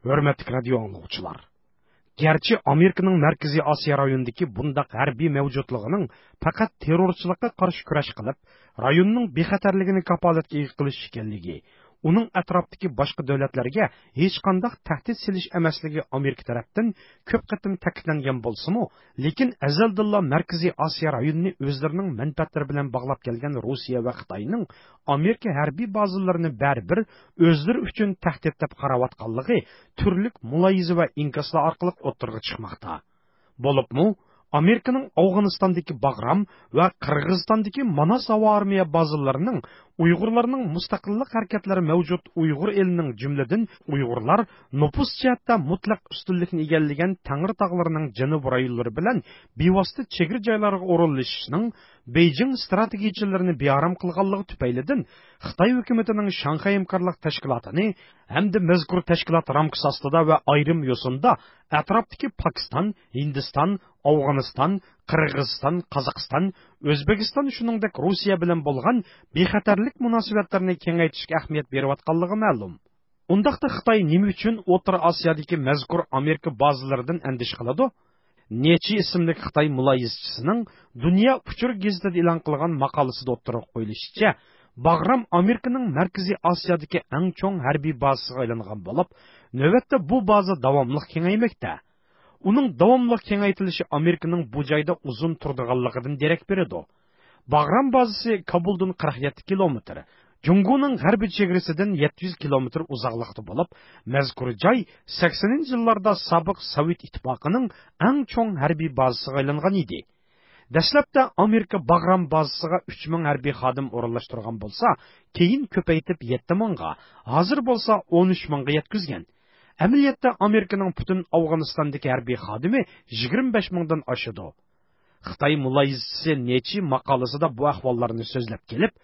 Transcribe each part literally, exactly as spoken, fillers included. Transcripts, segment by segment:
ھۆرمەتلىك رادىيو ئاڭلىغۇچىلار! گەرچە ئامېرىكىنىڭ مەركىزىي ئاسىيا رايونىدىكى بۇنداق ھەربىي مەۋجۇتلۇقىنىڭ پەقەت تېررورچىلىققا قارشى كۈرەش قىلىپ، رايوننىڭ بىخەتەرلىكىنى كاپالەتكە ئىگە قىلىش ئىكەنلىكى، ئۇنىڭ ئەتراپتىكى باشقا دۆلەتلەرگە ھېچقانداق تەھدىت سېلىش ئەمەسلىكى ئامېرىكا تەرەپتىن كۆپ قېتىم تەكىتلەنگەن بولسىمۇ، لېكىن ئەزەلدىنلا مەركىزىي ئاسىيا رايونىنى ئۆزلىرىنىڭ مەنپەئەتلىرى بىلەن باغلاپ كەلگەن روسىيە ۋە خىتاينىڭ ئامېرىكا ھەربىي بازىلىرىنى بەرىبىر ئۆزلىرى ئۈچۈن تەھدىت دەپ قاراۋاتقانلىقى تۈرلۈك مۇلاھىزە ۋە ئىنكاسلار ئارقىلىق ئوتتۇرىغا چىقماقتا. بولۇپمۇ، ئامېرىكىنىڭ ئافغانىستاندىكى باغرام ۋە قىرغىزىستاندىكى ماناس ھاۋا ئارمىيە بازىلىرىنىڭ ئۇيغۇرلارنىڭ مۇستەقىللىق ھەرىكەتلىرى مەۋجۇت ئۇيغۇر ئېلىنىڭ، جۈملىدىن ئۇيغۇرلار نوپۇس جەھەتتە مۇتلەق ئۈستۈنلۈكنى ئىگىلىگەن تەڭرى تاغلىرىنىڭ جەنۇبىي رايونلىرى بىلەن بىۋاسىتە چېگرا جايلارغا ئورۇنلىشىشنىڭ بېيجىڭ ستراتېگىيىچىلىرىنى بىئارام قىلغانلىقى تۈپەيلىدىن، خىتاي ھۆكۈمىتىنىڭ شاڭخەي ھەمكارلىق تەشكىلاتىنى ھەمدە مەزكۇر تەشكىلات رامكىسى ئاستىدا ۋە ئايرىم يوسۇندا ئەتراپتىكى پاكىستان، ھىندىستان، ئافغانىستان، قىرغىزىستان، قازاقىستان، ئۆزبېكىستان، شۇنىڭدەك روسىيە بىلەن بولغان بىخەتەرلىك مۇناسىۋەتلىرىنى كېڭەيتىشكە ئەھمىيەت بېرىۋاتقانلىقى مەلۇم. ئۇنداقتا خىتاي نېمە ئۈچۈن ئوتتۇرا ئاسىيادىكى مەزكۇر ئامېرىكا بازىلىرىدىن ئەندىشە قىلىدۇ؟ نېچى ئىسىملىك خىتاي مۇلاھىزىچىسىنىڭ دۇنيا ئۇچۇر گېزىتىدە ئېلان قىلغان ماقالىسىدا ئوتتۇرىغا قويۇلۇشىچە، باغرام ئامېرىكىنىڭ مەركىزىي ئاسىيادىكى ئەڭ چوڭ ھەربىي بازىسىغا ئايلانغان بولۇپ، نۆۋەتتە بۇ بازا داۋاملىق كېڭەيمەكتە. ئۇنىڭ داۋاملىق كېڭەيتىلىشى ئامېرىكىنىڭ بۇ جايدا ئۇزۇن تۇرىدىغانلىقىدىن دېرەك بېرىدۇ. باغرام بازىسى كابۇلدىن قىرىق يەتتە كىلومېتىر، جۇڭگونىڭ غەربىي چېگرىسىدىن يەتتە يۈز كىلومېتىر ئۇزاقلىقتا بولۇپ، مەزكۇر جاي سەكسىنىنچى يىللاردا سابىق سوۋېت ئىتتىپاقىنىڭ ئەڭ چوڭ ھەربىي بازىسىغا ئايلانغان ئىدى. دەسلەپتە ئامېرىكا باغرام بازىسىغا ئۈچ مىڭ ھەربىي خادىم ئورۇنلاشتۇرغان بولسا، كېيىن كۆپەيتىپ يەتتە مىڭغا، ھازىر بولسا ئون ئۈچ مىڭغا يەتكۈزگەن. ئەمەلىيەتتە ئامېرىكىنىڭ پۈتۈن ئافغانىستاندىكى ھەربىي خادىمى يىگىرمە بەش مىڭدىن ئاشىدۇ. خىتاي مۇلاھىزىچىسى نېچى ماقالىسىدا بۇ ئەھۋاللارنى سۆزلەپ كېلىپ،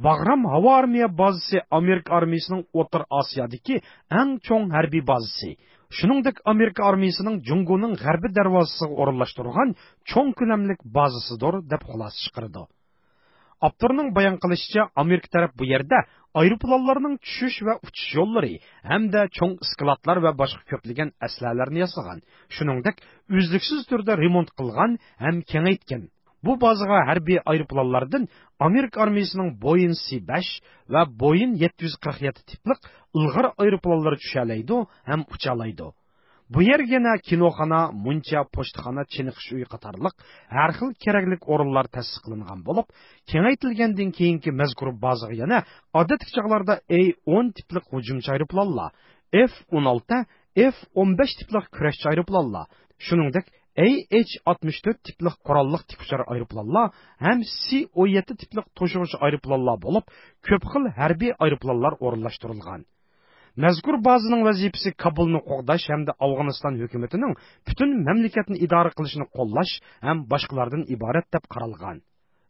باغرام ھاۋا ئارمىيە بازىسى ئامېرىكا ئارمىيىسىنىڭ ئوتتۇرا ئاسىيادىكى ئەڭ چوڭ ھەربىي بازىسى، شۇنىڭدەك ئامېرىكا ئارمىيىسىنىڭ جۇڭگونىڭ غەربىي دەرۋازىسىغا ئورۇنلاشتۇرغان چوڭ كۆلەملىك بازىسىدۇر، دەپ خۇلاسە چىقىرىدۇ. ئاپتورنىڭ بايان قىلىشىچە، ئامېرىكا تەرەپ بۇ يەردە ئايروپىلانلارنىڭ چۈشۈش ۋە ئۇچۇش يوللىرى ھەمدە چوڭ ئىسكىلاتلار ۋە باشقا كۆپلىگەن ئەسلىھەلەرنى ياسىغان، شۇنىڭدەك ئۈزلۈكسىز تۈردە رېمونت قىلغان ھەم كېڭەيتكەن. بۇ بازىغا ھەربىي ئايروپىلانلاردىن ئامېرىكا ئارمىيىسىنىڭ بويىن سى بەش ۋە بويىن يەتتە يۈز قىرىق يەتتە تىپلىق ئىلغار ئايروپىلانلىرى چۈشەلەيدۇ ھەم ئۇچالايدۇ. بۇ يەرگە يەنە كىنوخانا، مۇنچا، پوچتىخانا، چېنىقىش ئۆيى قاتارلىق ھەر خىل كېرەكلىك ئورۇنلار تەسىس قىلىنغان بولۇپ، كېڭەيتىلگەندىن كېيىنكى مەزكۇر بازىغا يەنە ئادەتتىكى چاغلاردا ئەي ئون تىپلىق ھۇجۇمچى ئايروپىلانلار، ئېف ئون ئالتە، ئېف ئون بەش تىپلىق كۈرەشچى ئايروپىلانلار، شۇنىڭدەك ئەي ئېچ ئاتمىش تۆت تىپلىق قوراللىق تىكئۇچار ئايروپىلانلار ھەم سى ئون يەتتە تىپلىق توشۇغۇچى ئايروپىلانلار بولۇپ، كۆپ خىل ھەربىي ئايروپىلانلار ئورۇنلاشتۇرۇلغان. مەزكۇر بازىنىڭ ۋەزىپىسى كابۇلنى قوغداش ھەمدە ئافغانىستان ھۆكۈمىتىنىڭ پۈتۈن مەملىكەتنى ئىدارە قىلىشىنى قوللاش ھەم باشقىلاردىن ئىبارەت دەپ قارالغان.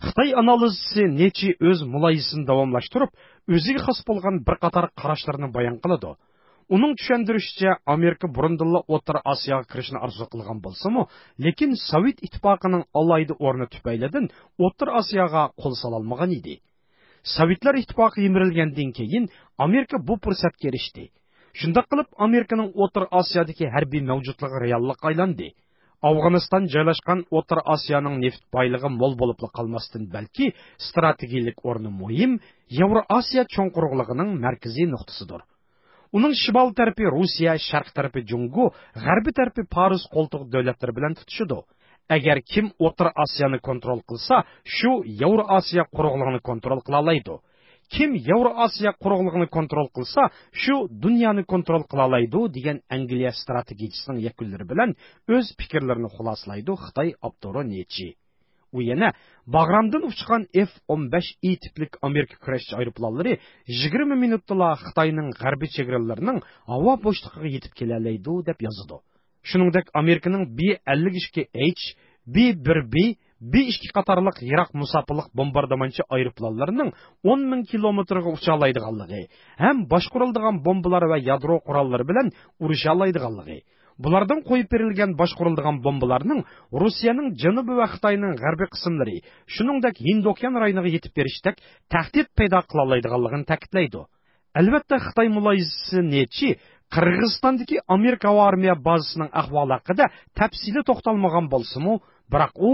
خىتاي ئانالىزچىسى نېچى ئۆز مۇلاھىزىسىنى داۋاملاشتۇرۇپ، ئۆزىگە خاس بولغان بىر قاتار قاراشلىرىنى بايان قىلىدۇ. ئۇنىڭ چۈشەندۈرۈشىچە، ئامېرىكا بۇرۇندىنلا ئوتتۇرا ئاسىياغا كىرىشنى ئارزۇ قىلغان بولسىمۇ، لېكىن سوۋېت ئىتتىپاقىنىڭ ئالاھىدە ئورنى تۈپەيلىدىن ئوتتۇرا ئاسىياغا قول سالالمىغان ئىدى. سوۋېتلار ئىتتىپاقى يىمىرىلگەندىن كېيىن، ئامېرىكا بۇ پۇرسەتكە ئېرىشتى. شۇنداق قىلىپ، ئامېرىكىنىڭ ئوتتۇرا ئاسىيادىكى ھەربىي مەۋجۇتلۇقى رېئاللىققا ئايلاندى. ئافغانىستان جايلاشقان ئوتتۇرا ئاسىيانىڭ نېفىت بايلىقى مول بولۇپلا قالماستىن، بەلكى ستراتېگىيىلىك ئورنى مۇھىم ياۋرو ئاسىيا چوڭ قۇرۇقلۇقىنىڭ مەركىزىي نۇقتىسىدۇر. ئۇنىڭ شىمال تەرىپى روسىيە، شەرق تەرىپى جۇڭگو، غەربىي تەرىپى پارس قولتۇق دۆلەتلىرى بىلەن تۇتىشىدۇ. ئەگەر كىم ئوتتۇرا ئاسىيانى كونترول قىلسا، شۇ ياۋرو ئاسىيا قۇرۇقلۇقىنى كونترول قىلالايدۇ. كىم ياۋرو ئاسىيا قۇرۇقلۇقىنى كونترول قىلسا، شۇ دۇنيانى كونترول قىلالايدۇ، دېگەن ئەنگلىيە ستراتېگىيىچىسىنىڭ يەكۈنلىرى بىلەن ئۆز پىكىرلىرىنى خۇلاسىلايدۇ خىتاي ئاپتورى نېچى. ئۇ يەنە، باغرامدىن ئۇچقان ئېف ئون بەش ئى تىپلىك ئامېرىكا كۈرەشچى ئايروپىلانلىرى يىگىرمە مىنۇتتىلا خىتاينىڭ غەربىي چېگرىلىرىنىڭ ھاۋا بوشلۇقىغا يېتىپ كېلەلەيدۇ، دەپ يازىدۇ. شۇنىڭدەك ئامېرىكىنىڭ بى ئەللىك ئىككى ئېيچ، بى بىر بى، بى ئىككى قاتارلىق يىراق مۇساپىلىق بومباردىمانچى ئايروپىلانلىرىنىڭ ئون مىڭ كىلومېتىرغا ئۇچالايدىغانلىقى ھەم باشقۇرۇلىدىغان بومبىلار ۋە يادرو قوراللىرى بىلەن ئۇرۇشالايدىغانلىقى، بۇلاردىن قويۇپ بېرىلگەن باشقۇرۇلىدىغان بومبىلارنىڭ روسىيەنىڭ جەنۇبى ۋە خىتاينىڭ غەربىي قىسىملىرى، شۇنىڭدەك ھىندى ئوكيان رايونىغا يېتىپ بېرىشتەك تەھدىت پەيدا قىلالايدىغانلىقىنى تەكىتلەيدۇ. ئەلۋەتتە، خىتاي مۇلاھىزىچىسى نېچى قىرغىزىستاندىكى ئامېرىكا ھاۋا ئارمىيە بازىسىنىڭ ئەھۋالى ھەققىدە تەپسىلىي توختالمىغان بولسىمۇ، بىراق ئۇ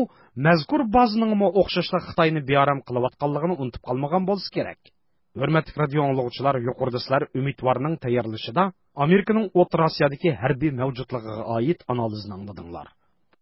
مەزكۇر بازىنىڭمۇ ئوخشاشلا خىتاينى بىئارام قىلىۋاتقانلىقىنى ئۇنتۇپ قالمىغان بولسا كېرەك. ھۆرمەتلىك رادىيو ئاڭلىغۇچىلار، يۇقىرىدا سىلەر ئۈمىدۋارنىڭ تەييارلىشىدا ئامېرىكىنىڭ ئوتتۇرا ئاسىيادىكى ھەربىي مەۋجۇتلۇقىغا ئائىت ئانالىزىنى ئاڭلىدىڭلار.